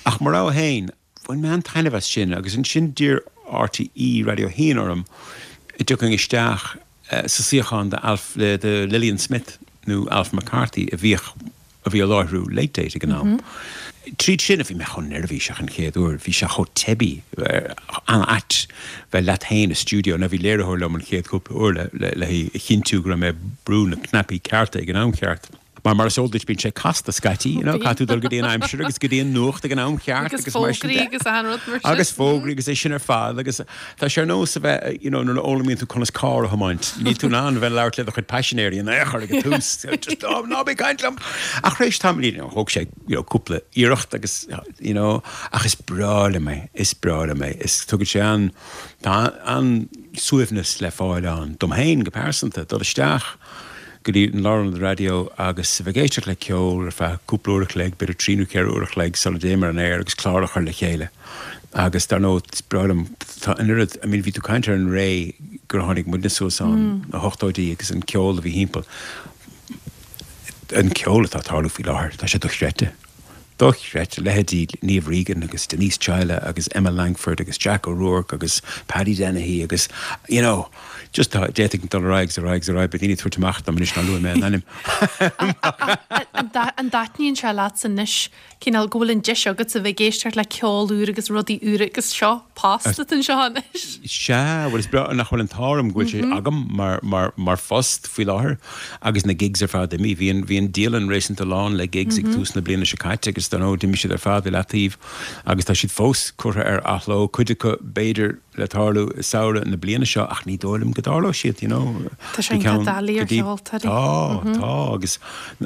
Ach mar rogha féin, bhain mé an-taitneamh as sin agus ansin d'iarr RTÉ Raidió a haon orm an dtiocfainn isteach uh, sa suíochán de Alf le de Lillian Smith nó Alf McCarthy a bhíodh a bhí ag láithriú Late Date ag an am. Tríd sin a bhí mé chomh neirbhíseach an chéad uair, bhí sé chomh teibí an-ait bheith leat féin i stiúideo na bhí léiritheoir liom an chéad cúpla uair le le le chinntiú go raibh mé ag brú na cnaipí cearta ag an am ceart. Mar mar is eol duit bíonn sé casta scaití, you know, caithfidh tú dul go dtí an aimsir agus go dtí an nuacht ag an am ceart Agus agus mar sin fógraí de. agus achan rud mar sin. Agus fógraí agus é sin ar fad agus tá sé ar nós a bheith you know, nuair a fhoghlaimíonn tú conas carr a thiomáint. Níl tú in ann bheith labhairt le do chuid paisinéirí in aon chor ag an tús. Just oh, ná bí ag caint liom. Ach tar éis tamaill you know, thóg sé you know, cúpla iarracht agus you know, ach is breá liom é, is breá liom é. Is tugann sé an tá an suaimhneas le fáil ann dom féin go pearsanta dul isteach go dtí an lárionad raidió agus a bheith ag éisteacht le ceol ar feadh cúpla uair a chloig, b'fhéidir trí nó ceithre uair a chloig sula dtéim ar an aer agus clár a chur le chéile. Agus dar ndóigh is breá liom tá an oiread, I mean, bhí tú ag caint ar an ré gur tháinig muidne suas ann na hochtóidí agus an ceol a bhí thimpeall. An ceol atá ag tarlú faoi láthair, tá sé dochreidte. Dochreidte leithéidí Niamh Regan agus Denise Chaila agus Emma Langford agus Jack O'Rourke agus Paddy Dennehy agus you know, just tá d'fhéadfainn dul ar aghaidh ar aghaidh ar aghaidh, beidh daoine ag tabhairt amach dom anois nár luaigh mé an ainm. An da- an dtaitníonn sé leat anois cineál go bhfuil an deis agat a bheith ag éisteacht le ceol úr agus rudaí úra agus seo post atá anseo anois. Sea, bhuel is breá nach bhfuil an t-ádh orm go bhfuil sé agam mar, mar, mar phost faoi láthair agus na gigs ar fad imithe. Bhí an, bhí an dialann réasúnta lán le gigs ag tús na bliana seo caite agus dar ndóigh d'imigh siad ar fad i leataobh agus tá siad fós curtha ar athló, cuid acu b'fhéidir le tarlú i samhradh na bliana seo ach ní dóigh liom go dtarlóidh siad, you know. Tá sé Go ceann- doiligh ar go dtí- cheoltóirí. Tá, tá agus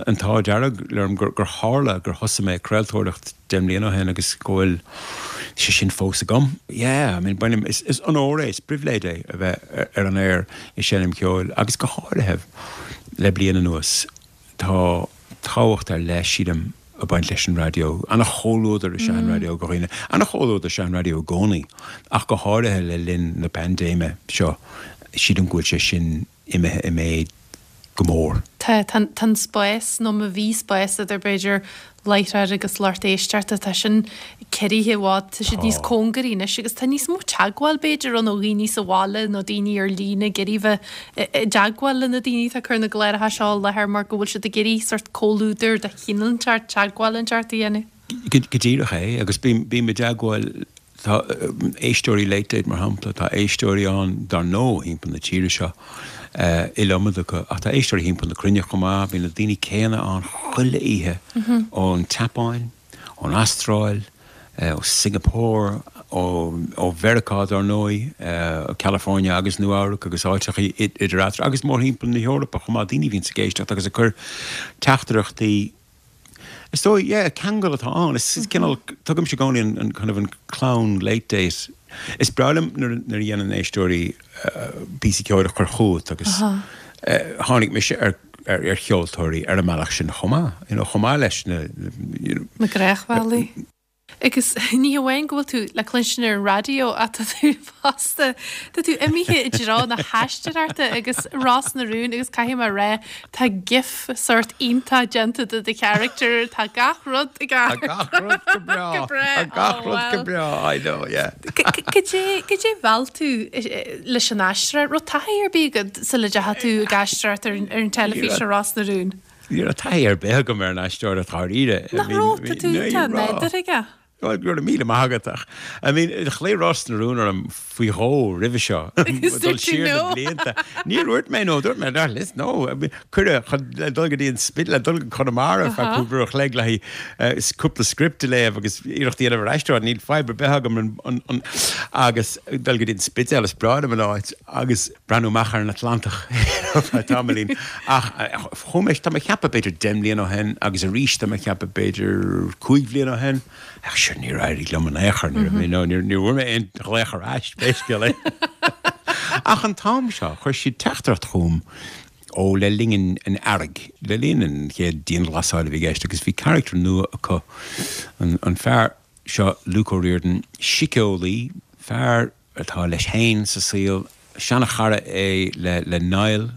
an t-ádh dearg liom gur, gur tharla gur thosaigh mé craoltóireacht deich mbliana ó shin agus go bhfuil sé sin fós agam. Yeah, I mean, bainim, is, is onóir é, is pribhléid é a bheith ar, ar an aer ag seinm ceoil agus go háirithe le bliain anuas tá tábhacht ar leith sílim ag baint leis an raidió. An-chomhluadar is ea an raidió go dhaoine. An-chomhluadar is ea an raidió i gcónaí ach go háirithe le linn na paindéime seo sílim go bhfuil sé sin imithe i méid go mór. Tá tá an spás nó má bhí spás idir b'fhéidir láithreoir agus lucht éisteachta tá sin ciorraithe i bhfad tá siad níos cóngaraí anois agus tá níos mó teagmháil b'fhéidir ann ó dhaoine sa bhaile nó daoine ar líne ag iarraidh bheith i dteagmháil le na daoine atá ag cur na gcláracha seo i láthair mar go bhfuil siad ag iarraidh sort comhluadar de chineál inteacht teagmháil inteacht a dhéanamh. Go go díreach é agus bím bím i dteagmháil tá éisteoirí Late Date mar shampla, tá éisteoirí ann dar ndóigh thimpeall na tíre seo uh, iliomad acu ach tá éisteoirí thimpeall na cruinne chomh maith, bíonn na daoine céanna ann chuile oíche ón tSeapáin, ón Astráil, uh, ó Singapore, ó, ó Mheiriceá dar ndóigh, uh, California agus Nua-Eabhrac agus áiteacha idir eatarthu agus mórthimpeall na hEorpa chomh maith daoine a bhíonn ag éisteacht agus ag cur teachtaireachtaí Is dóigh, yeah, ceangal atá ann. Is is cineál tugaimse i gcónaí an, an kind of an clann Late Date. Is breá liom nuair nuair a dhéanann éisteoirí uh, píosaí ceoil a chur chugat agus uh, tháinig mise ar ar, ar cheoltóirí ar an mbealach sin chomh maith, you know, chomh maith leis na, you know, Na gnáthdhaoine. Agus ní hamháin go bhfuil tú le cluinstin ar an raidió ach tá tú fosta Tá tú imithe i dtreo na haisteoireachta agus Ros na Rún agus caithfidh mé rá tá gif sort iontach déanta de do character tá gach rud i Tá gach rud go breá. Go breá. Tá gach Oh, rud go well. breá, I know, yeah. Cad é mheall tú leis an aisteoireacht raibh taithí ar bith agat sula ndeachaigh tú ag aisteoireacht ar ar an teilifís ar Ros na Rún. Ní raibh taithí ar bith agam ar an aisteoireacht dáiríre. Nach raibh tá tú tá nádúr aige. Well, go raibh míle maith agat ach I mean, ghlaoigh Ros na Rún orm faoi dhó roimhe seo. Agus Dul dúirt tú siar na no. blianta. Níor dhúirt mé no, dúirt mé no, listen, no. I mean, Cuireadh chun le dul go dtí an Spidéal le dul go Conamara ar feadh cúpla uair a chloig le haghaidh, eh, s- cúpla script a léamh agus iarracht a dhéanamh ar aisteoir, níl fadhb ar bith agam an, an, an, agus dul go dtí an Spidéal is breá liom an áit agus breathnú amach ar an Atlantach feadh tamaillín. Ach eh, chuaigh mé tá mé ag ceapadh b'fhéidir deich mbliana ó shin agus arís tá mé ag ceapadh b'fhéidir cúig bhliain ó shin. Ach sure níor éirigh liom in aon chor, níor you know, níor níor bhfuair mé aon ghlaoch ar ais pé scéal é. Ach an t-am seo chuir siad teachtaireacht chugam ó le linn an, an earraigh, le linn an chéad dianghlasáil a bhí i gceist agus bhí character nua acu an, an fear seo Luke O'Riordan, síceolaí, fear atá leis féin sa saol, seanchara é le, le Niall,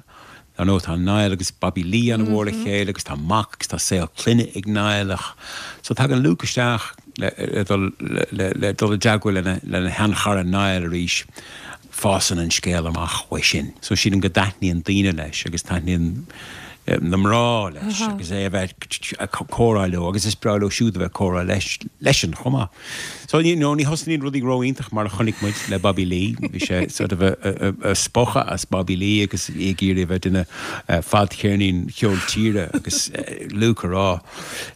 Ar ndóigh tá Niall agus Bobby Lee an-mhór le chéile agus tá mac agus tá saol clainne ag Niall ach so tagann Luke isteach le, le dul le, le, le dul i dteagmháil lena, lena sheanchara Niall arís. Fásann an scéal amach uaidh sin. So sílim go dtaitníonn daoine leis agus taitníonn eh, na mná leis agus é a bheith ag comhrá leo agus is breá leo siúd a bheith comhrá leis leisean chomh maith. So you know, ní thosnaíonn rudaí ró-iontach mar a chonaic muid le Bobby Lee, bhí sé sort of a, a, a, a spochadh as Bobby Lee agus é ag iarraidh a bheith duine uh, fadcheirnín cheol tíre agus uh, Luke a rá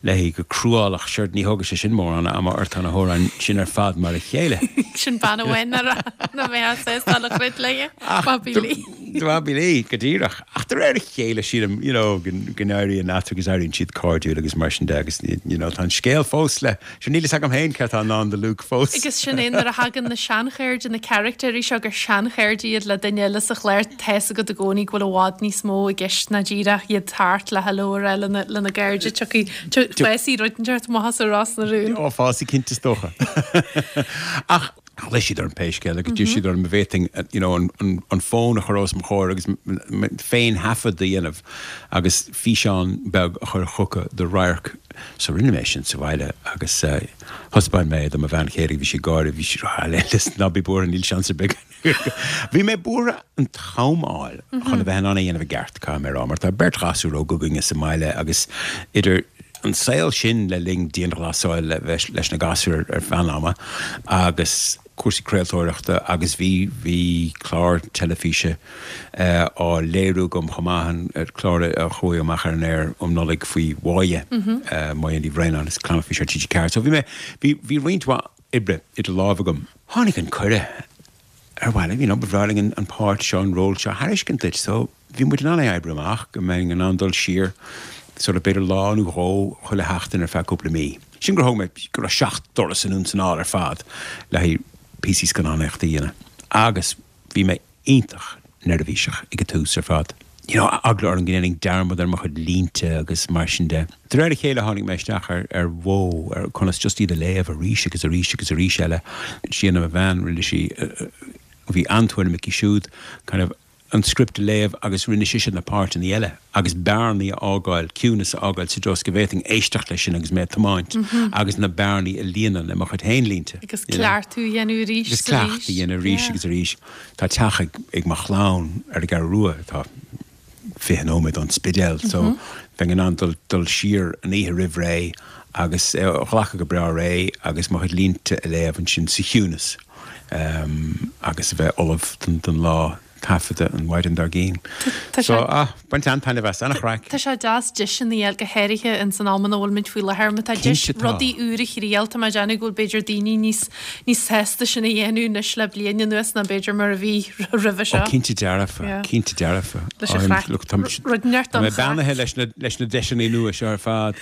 léi go cruálach sure ní thógfaidh sé sin mórán ama ort na hamhráin sin ar fad mar a chéile. Sin bean amháin nach mbeadh sásta le chruit léi, Bobby Lee. Bobby Lee go díreach. Ach de réir a chéile sílim you know, go go n-éiríonn eatarthu agus éiríonn siad cairdiúil agus mar sin de agus you know, tá an scéal fós le sin níl a fhios agam féin céard atá i ndán do Luke fós. Agus sin é nuair a thagann na seanchairde na carachtair seo gur seanchairde iad le duine eile sa chlár tá a fhios agat i gcónaí go bhfuil i bhfad níos mó i gceist ná díreach iad thart le hello a rá lena lena gcairde tiocfaidh fásfaidh rud inteacht amach as Ros na Rún. Ó fásfaidh cinnte is dócha. Ach ghlaoigh siad orm pé scéal agus d'iarr siad orm an bhféadfainn you know, an, an, an fón a chur os mo chomhair agus féin thaifead a dhéanamh agus físeán beag a chur chucu de radharc. So rinne mé sin sa bhaile agus uh, thaispeáin mé do mo bhean chéile bhí sí ag gáire bhí sí ná bí buartha níl seans ar bith. Bhí mé buartha an t-am a fháil chun a bheith in ann é a dhéanamh i gceart caithfidh mé a rá, mar tá beirt ghasúr óg againne sa mbaile agus idir an saol sin le linn dianghlasáil le bheith leis na gasúir ar feadh an ama agus cúrsaí craoltóireachta agus bhí bhí clár teilifíse uh, á léiriú agam chomh maith an uh, clár a chuaigh amach ar an aer um Nollaig faoi Mháire mm -hmm. uh, Máire Ní Bhraonáin agus clár fís ar TG Ceathair. So bhí mé bhí bhí roinnt mhaith oibre idir lámha agam. Tháinig an cuireadh ar bhile, you know, ba bhreá linn an, an páirt seo an ról seo a thairiscint duit, so bhí muid in ann é a oibriú amach go mbeinn in ann dul siar sort of b'fhéidir lá nó dhó chuile sheachtain ar feadh cúpla mí. Sin gur thóg mé go raibh seacht dturas anonn is anall ar fad le haghaidh píosaí scannánaíochta a dhéanamh. Agus bhí mé iontach neirbhíseach ag an tús ar fad. You know, eagla orm go ndéanfainn dearmad ar mo chuid línte agus mar sin de. De réir a chéile tháinig mé isteach ar, ar mhodh ar conas just iad a léamh arís agus arís agus arís eile. Síona mo bhean rinne sí uh, bhí an-tuairim aici siúd kind of an script a léamh agus rinne sise na páirteanna eile agus bearnaí a fhágáil ciúnas a fhágáil sa dós go bhféadfainn éisteacht leis sin agus mé ag tiomáint agus na bearnaí a líonadh le mo chuid féin línte. Agus cleachtadh a dhéanamh arís Agus cleachtadh a dhéanamh arís agus arís. Tá teach ag, ag mo chlann ar an gCeathrú Rua atá fiche nóiméad ón Spidéal, so bheinn in ann dul, dul siar an oíche roimh ré agus eh, ghlacadh go breá réidh agus mo chuid línte a léamh ansin sa chiúnas um, agus a bheith ullamh don, don lá taifeadta an mhaidin dár gcionn. Tá So sé- ah, baint an-taitneamh as an-chraic. Tá sé deas deiseanna a fháil go háirithe in san am ina bhfuil muid faoi láthair, má tá deis Cinnte tá. rudaí úr a thriail tá mé ag déanamh go bhfuil b'fhéidir daoine níos níos sásta sin a dhéanamh anois le bliain anuas ná b'fhéidir mar a bhí roimhe seo. Ó cinnte dearfa, Yeah. cinnte dearfa. Leis an I'm- chraic. look, tá Rud neart tá mé don beannaithe leis na leis na deiseanna nua seo ar fad.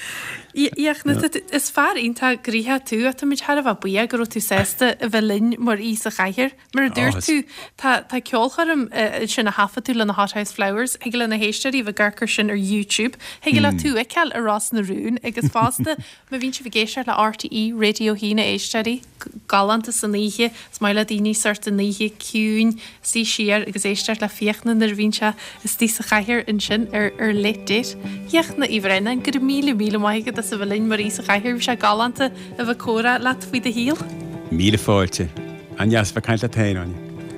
Fhiachna, is fear iontach gnoitheach tú a táimid thar a bheith buíoch go raibh tú sásta a bheith linn mar aoi sa chathaoir. Mar a dúirt is- tú tá tá ceolchoirm eh, sin a thaifead tú le na Hothouse Flowers, thig le na héisteoirí bheith ag amharc air sin ar YouTube, thig le tú a fheiceáil ar Ros na Rún agus fosta má bhíonn sibh ag éisteacht le RTÉ Raidió a haon éisteoirí galánta san oíche, is maith le daoine sort an oíche ciúin suí siar agus éisteacht le Fiachna nuair a bhíonn sé istigh sa chathaoir ansin ar ar Late Date. Fiachna Uí Bhraonáin go raibh míle míle maith agat as a bheith linn mar aoi sa chathaoir bhí sé galánta a bheith ag comhrá leat faoi do shaol. Míle fáilte. An-deas bheith ag caint leat féin, Áine.